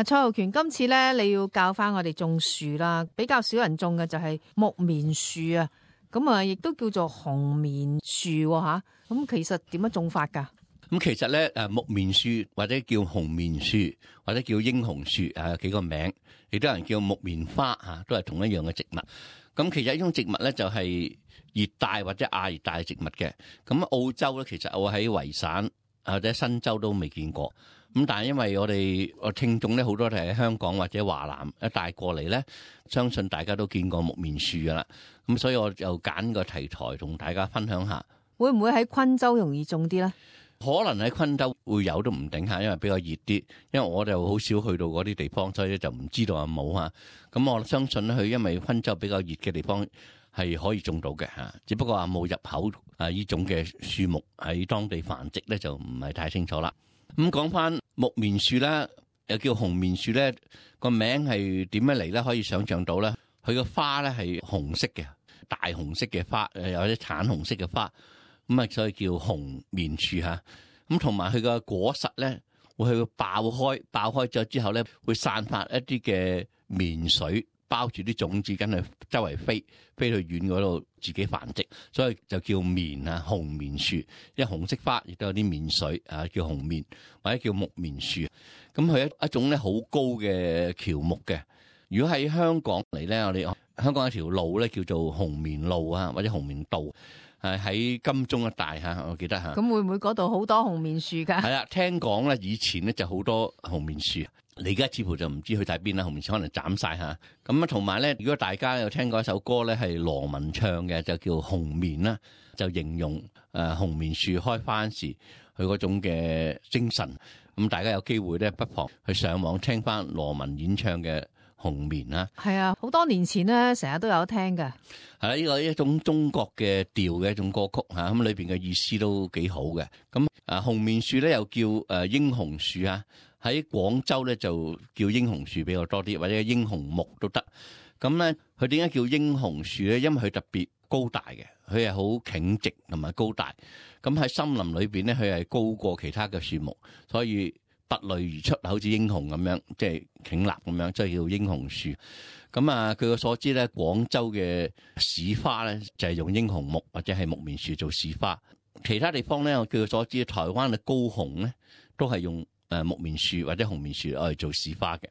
蔡浩權，今次咧你要教翻我哋種樹啦，比較少人種嘅就係木棉樹啊，咁啊亦都叫做紅棉樹吓，咁其實點樣種法噶？咁其實咧木棉樹或者叫紅棉樹或者叫英雄樹有幾個名，亦都有人叫木棉花都係同一樣嘅植物。咁其實呢種植物咧就係熱帶或者亞熱帶植物嘅。咁澳洲咧其實我喺維省或者新州都未見過。咁但係因為我哋聽眾咧好多都係喺香港或者華南一帶過嚟咧，相信大家都見過木棉樹噶啦。咁所以我就揀個題材同大家分享下。會唔會喺昆州容易種啲咧？可能喺昆州會有都唔定下，因為比較熱啲。因為我就好少去到嗰啲地方，所以就唔知道有冇嚇。咁我相信咧，佢因為昆州比較熱嘅地方係可以種到嘅嚇，只不過話冇入口呢種嘅樹木喺當地繁殖咧，就唔係太清楚啦。咁講翻木棉樹啦，又叫紅棉樹咧，個名係點樣嚟咧？可以想像到咧，佢個花咧係紅色嘅，大紅色嘅花，有啲橙紅色嘅花。咁啊，所以叫紅棉樹嚇。咁同埋佢個果實咧，會去爆開咗之後咧，會散發一啲嘅棉水，包住啲種子，跟住周圍飛去遠嗰度自己繁殖，所以就叫棉啊，紅棉樹。因為紅色花亦都有啲棉水啊，叫紅棉或者叫木棉樹。咁佢一種咧好高嘅喬木嘅。如果喺香港嚟咧，我哋香港有條路咧叫做紅棉路啊，或者紅棉道。喺金鐘一帶嚇，我記得嚇。咁會唔會嗰度好多紅棉樹㗎？係啦，聽講咧，以前咧就好多紅棉樹，你而家似乎就唔知去晒邊啦。紅棉樹可能斬晒嚇。咁啊，同埋咧，如果大家有聽過一首歌咧，係羅文唱嘅，就叫《紅棉》啦，就形容紅棉樹開花時佢嗰種嘅精神。咁大家有機會咧，不妨去上網聽翻羅文演唱嘅紅棉啦。係啊，好多年前咧，成日都有聽嘅。係啦，呢個一種中國嘅調嘅一種歌曲嚇，咁裏邊嘅意思都幾好嘅。咁紅棉樹咧又叫英雄樹啊，喺廣州咧就叫英雄樹比較多啲，或者英雄木都得。咁咧佢點解叫英雄樹咧？因為佢特別高大嘅，佢係好挺直同埋高大。咁喺森林裏邊咧，佢係高過其他嘅樹木，所以拔類而出，好似英雄咁樣，即係挺立咁樣，即係叫英雄樹。咁啊，據我所知咧，廣州嘅市花咧就係用英雄木或者係木棉樹做市花。其他地方咧，我據我所知，台灣嘅高雄咧都係用木棉樹或者紅棉樹嚟做市花嘅。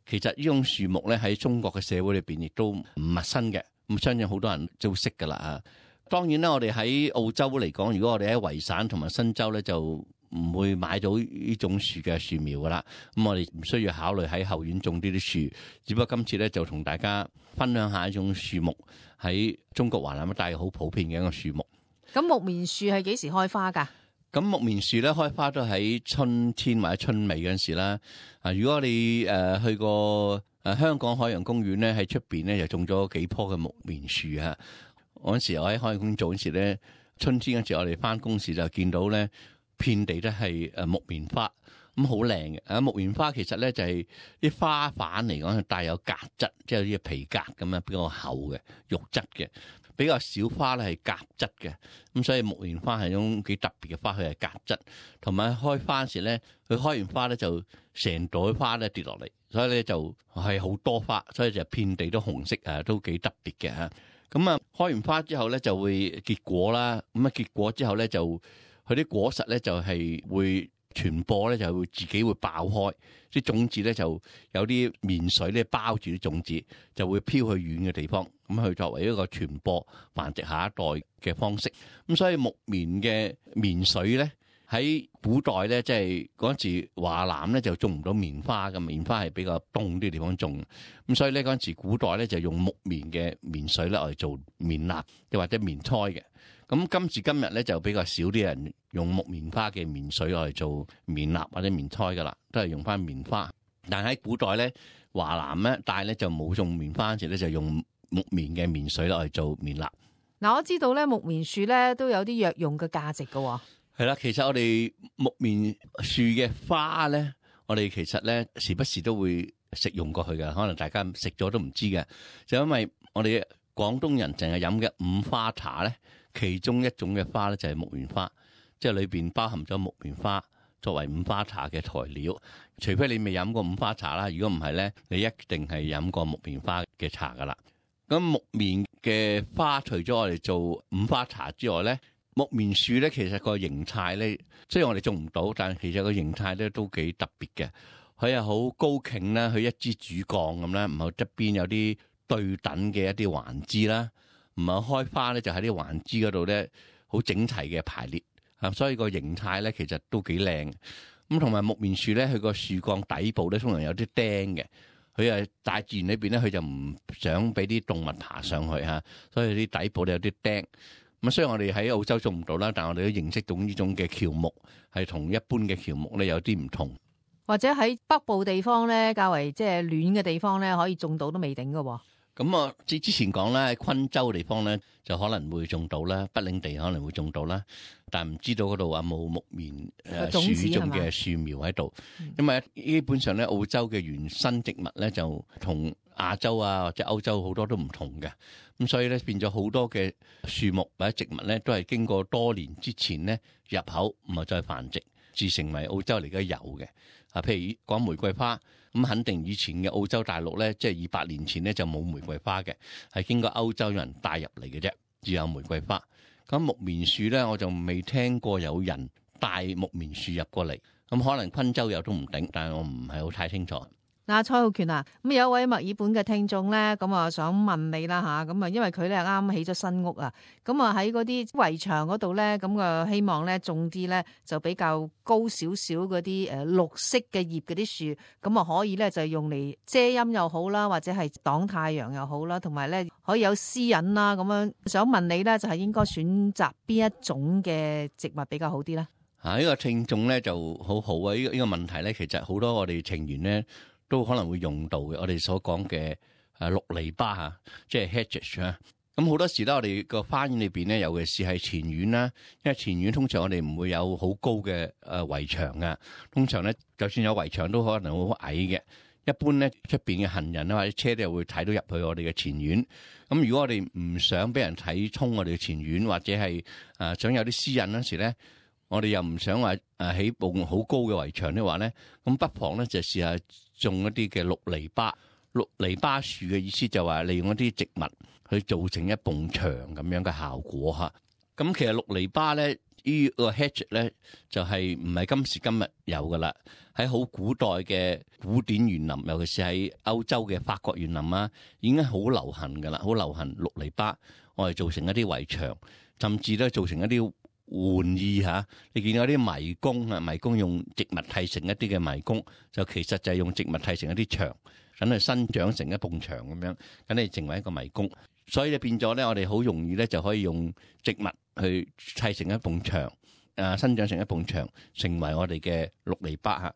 其實呢種樹木咧喺中國嘅社會裏邊亦都唔陌生嘅，咁相信好多人都識噶啦啊。當然啦，我哋喺澳洲嚟講，如果我哋喺維省同埋新州咧，就唔會買到呢種樹嘅樹苗噶啦。咁我哋唔需要考慮喺後院種呢啲樹，只不過今次咧就同大家分享下一種樹木喺中國華南一帶好普遍嘅一個樹木。咁木棉樹係幾時開花噶？咁木棉樹咧開花都喺春天或者春尾嗰陣時啦。如果你去過香港海洋公園咧，喺出邊咧就種咗幾棵嘅木棉樹啊。嗰陣時我喺海洋公園做嗰時咧，春天嗰時我哋翻工時就見到咧，遍地都係木棉花，咁好靚嘅。木棉花其實咧就係啲花瓣嚟講係帶有革質，即係啲皮革咁樣比較厚嘅肉質嘅。比較少花咧係革質嘅，咁所以木棉花係一種幾特別嘅花，佢係革質，同埋開花時咧，佢開完花咧就成朵花咧跌落嚟，所以咧就係好多花，所以就遍地都紅色啊，都幾特別嘅嚇。咁啊，開完花之後咧就會結果啦，咁啊結果之後咧就佢啲果實咧就係會傳播咧，就會自己會爆開，啲種子咧就有啲棉水咧包住啲種子，就會飄去遠嘅地方，咁去作為一個傳播繁殖下一代嘅方式。咁所以木棉嘅棉水咧喺古代咧，即係嗰陣時華南咧就種唔到棉花嘅，棉花係比較凍啲地方種，咁所以咧嗰陣時古代咧就用木棉嘅棉水咧嚟做棉蠟，又或者棉胎嘅。咁今時今日咧就比較少啲人用木棉花嘅棉水嚟做棉蠟或者棉胎噶啦，都係用翻棉花。但喺古代咧，華南咧但係咧就冇種棉花，嗰陣時咧就用木棉嘅棉水嚟做棉蠟。嗱，我知道咧木棉樹咧都有啲藥用嘅價值噶。係啦，其實我哋木棉樹嘅花咧，我哋其實咧時不時都會食用過去嘅，可能大家食咗都唔知嘅，就因為我哋廣東人淨係飲嘅五花茶咧。其中一種嘅花咧就係木棉花，即係裏邊包含咗木棉花作為五花茶嘅材料。除非你未飲過五花茶啦，如果唔係咧，你一定係飲過木棉花嘅茶噶啦。咁木棉嘅花除咗我哋做五花茶之外咧，木棉樹咧其實個形態咧，雖然我哋種唔到，但係其實個形態咧都幾特別嘅。佢係好高脛啦，佢一支主幹咁啦，唔係側邊有啲對等嘅一啲環枝啦，唔係開花咧就喺啲環枝嗰度咧好整齊嘅排列，所以個形態咧其實都幾靚。咁同埋木棉樹咧，佢個樹幹底部咧通常有啲釘嘅，佢係大自然裏邊咧，佢就唔想俾啲動物爬上去嚇，所以啲底部咧有啲釘。咁雖然我哋喺澳洲種唔到啦，但係我哋都認識到呢種嘅喬木係同一般嘅喬木咧有啲唔同。或者喺北部地方咧，較為即係暖嘅地方咧，可以種到都未定㗎喎。咁啊，之前講啦，喺昆州地方咧就可能會種到啦，北領地可能會種到啦，但係唔知道嗰度有冇木棉樹種嘅樹苗喺度。因為基本上咧澳洲嘅原生植物咧就同亞洲啊或者歐洲好多都唔同嘅，咁所以咧變咗好多嘅樹木或者植物咧都係經過多年之前咧入口，唔係再繁殖，至成為澳洲嚟嘅有嘅。譬如講玫瑰花，咁肯定以前嘅澳洲大陸咧，即係200年前咧就冇玫瑰花嘅，係經過歐洲人帶入嚟嘅啫，只有玫瑰花。咁木棉樹咧，我就未聽過有人帶木棉樹入過嚟，咁可能昆州有都唔定，但係我唔係好太清楚。嗱，蔡浩權啊，咁有一位墨爾本嘅聽眾咧，咁啊想問你啦吓，咁啊因為佢咧啱起咗新屋啊，咁啊喺嗰啲圍牆嗰度咧，咁啊希望咧種啲咧就比較高少少嗰啲綠色嘅葉嗰啲樹，咁啊可以咧就用嚟遮陰又好啦，或者係擋太陽又好啦，同埋咧可以有私隱啦，咁樣想問你咧就係應該選擇邊一種嘅植物比較好啲咧？呢個聽眾咧就好好啊！呢個問題咧，其實好多我哋情緣咧都可能會用到嘅。我哋所講嘅綠籬笆嚇，即係 hedge 啊。咁好多時咧，我哋個花園裏邊咧，尤其是係前院啦，因為前院通常我哋唔會有好高嘅圍牆嘅，通常咧就算有圍牆都可能好矮嘅。一般咧出邊嘅行人啊或者車都會睇到入去我哋嘅前院。咁如果我哋唔想俾人睇衝我哋嘅前院，或者係想有啲私隱嗰時咧，我哋又唔想話起棟好高嘅圍牆的話咧，咁不妨咧就試下種一啲嘅綠籬笆。綠籬笆樹嘅意思就話利用一啲植物去做成一埲牆咁樣嘅效果嚇。咁其實綠籬笆咧呢個 hedge 咧就係唔係今時今日有噶啦，喺好古代嘅古典園林，尤其是喺歐洲嘅法國園林啊，已經好流行噶啦，好流行綠籬笆，我哋做成一啲圍牆，甚至咧做成一啲玩意嚇。你見到啲迷宮啊，迷宮用植物砌成一啲嘅迷宮，就其實就係用植物砌成一啲牆，等佢生長成一埲牆咁樣，等你成為一個迷宮。所以就變咗咧，我哋好容易咧就可以用植物去砌成一埲牆，生長成一埲牆，成為我哋嘅綠籬笆嚇。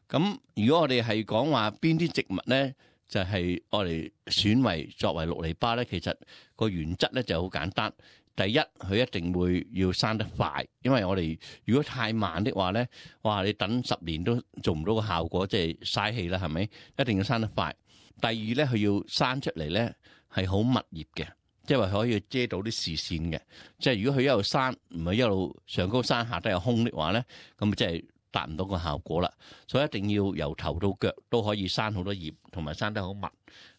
咁如果我哋係講話邊啲植物咧，就係我哋選為作為綠籬笆咧，其實個原則咧就好簡單。第一，佢一定會要生得快，因為我哋如果太慢的話咧，哇！你等10年都做唔到個效果，即係嘥氣啦，係咪？一定要生得快。第二咧，佢要生出嚟咧係好密葉嘅，即係話可以遮到啲視線嘅。即係如果佢一路生唔係一路上高生下低有空的話咧，咁即係達唔到個效果啦。所以一定要由頭到腳都可以生好多葉，同埋生得好密。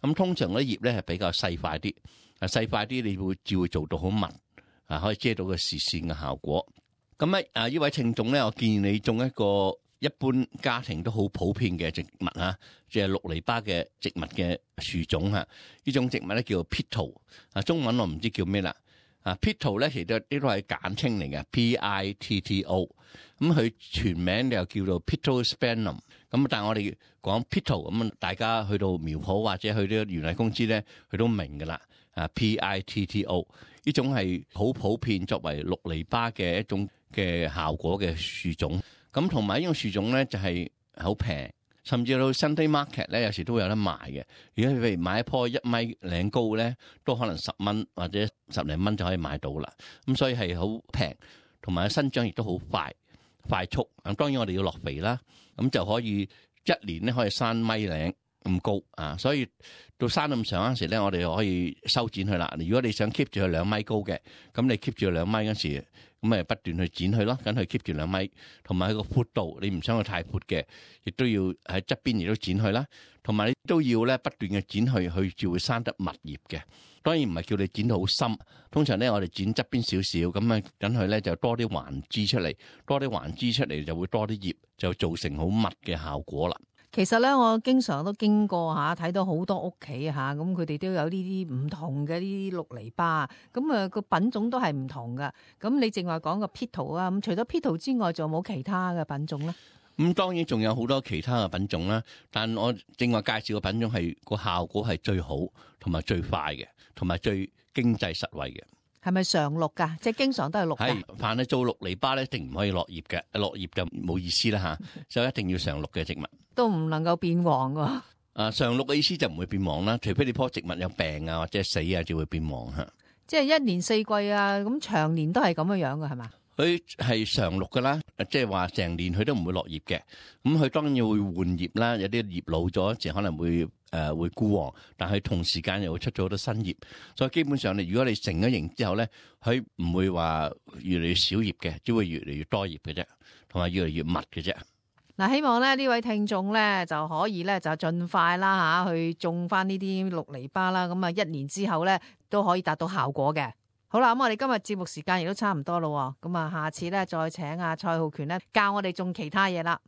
咁通常嗰啲葉咧係比較細塊啲，細塊啲你會做到好密。可以遮到個視線嘅效果。咁咧，呢位聽眾咧，我建議你種一個一般家庭都好普遍嘅植物嚇，即係綠籬笆嘅植物嘅樹種嚇。呢種植物咧叫做 Pitto，中文我唔知叫咩啦。Pitto 咧其實呢都係簡稱嚟嘅 Pitto。咁佢全名又叫做 Pittosporum。咁但係我哋講 Pitto 咁，大家去到苗圃或者去啲園藝公司咧，佢都明㗎啦。Pitto 呢種係好普遍作為綠籬笆嘅一種嘅效果嘅樹種。咁同埋呢種樹種咧就係好平，甚至到 Sunday Market 咧有時都會有得賣嘅。如果譬如買一棵1米零高咧，都可能10蚊或者10零蚊就可以買到啦。咁所以係好平，同埋生長亦都好快速。咁當然我哋要落肥啦，咁就可以1年咧可以生1米零咁高啊，所以到生咁上嗰時咧，我哋可以修剪佢啦。如果你想 keep 住佢2米高嘅，咁你 keep 住佢2米嗰時，咁咪不斷去剪佢咯，等佢 keep 住2米，同埋喺個闊度，你唔想佢太闊嘅，亦都要喺側邊亦都剪佢啦。同埋你都要咧不斷嘅剪佢，佢就會生得密葉嘅。當然唔係叫你剪到好深，通常咧我哋剪側邊少少，咁啊等佢咧就多啲環枝出嚟，多啲環枝出嚟就會多啲葉，就造成好密嘅效果啦。其實咧，我經常都經過嚇，睇到好多屋企嚇，咁佢哋都有呢啲唔同嘅呢啲綠籬笆，咁啊個品種都係唔同噶。咁你正話講個 Petal 啊，咁除咗 Petal 之外，仲有冇其他嘅品種咧？咁當然仲有好多其他嘅品種啦，但我正話介紹嘅品種係個效果係最好，同埋最快嘅，同埋最經濟實惠嘅。係咪常綠㗎？即係經常都係綠㗎。係，凡係做綠籬笆咧，一定唔可以落葉嘅，落葉就冇意思啦嚇，就一定要常綠嘅植物。都唔能夠變黃㗎。常綠嘅意思就唔會變黃啦，除非你棵植物有病啊或者死啊，就會變黃嚇。即係一年四季啊，咁長年都係咁樣㗎，係嘛？佢係常綠噶啦，即係話成年佢都唔會落葉嘅。咁佢當然會換葉啦，有啲葉老咗，就可能會枯黃，但係同時間又會出咗好多新葉。所以基本上如果你成咗型之後咧，佢唔會話越嚟越少葉嘅，只會越嚟越多葉嘅啫，同埋越嚟越密嘅啫。嗱，希望咧呢位聽眾咧就可以咧就盡快啦去種翻呢啲綠籬笆啦，咁啊1年之後咧都可以達到效果嘅。好啦，咁我哋今日節目時間亦都差唔多咯，咁啊下次咧再請阿蔡浩權咧教我哋種其他嘢啦。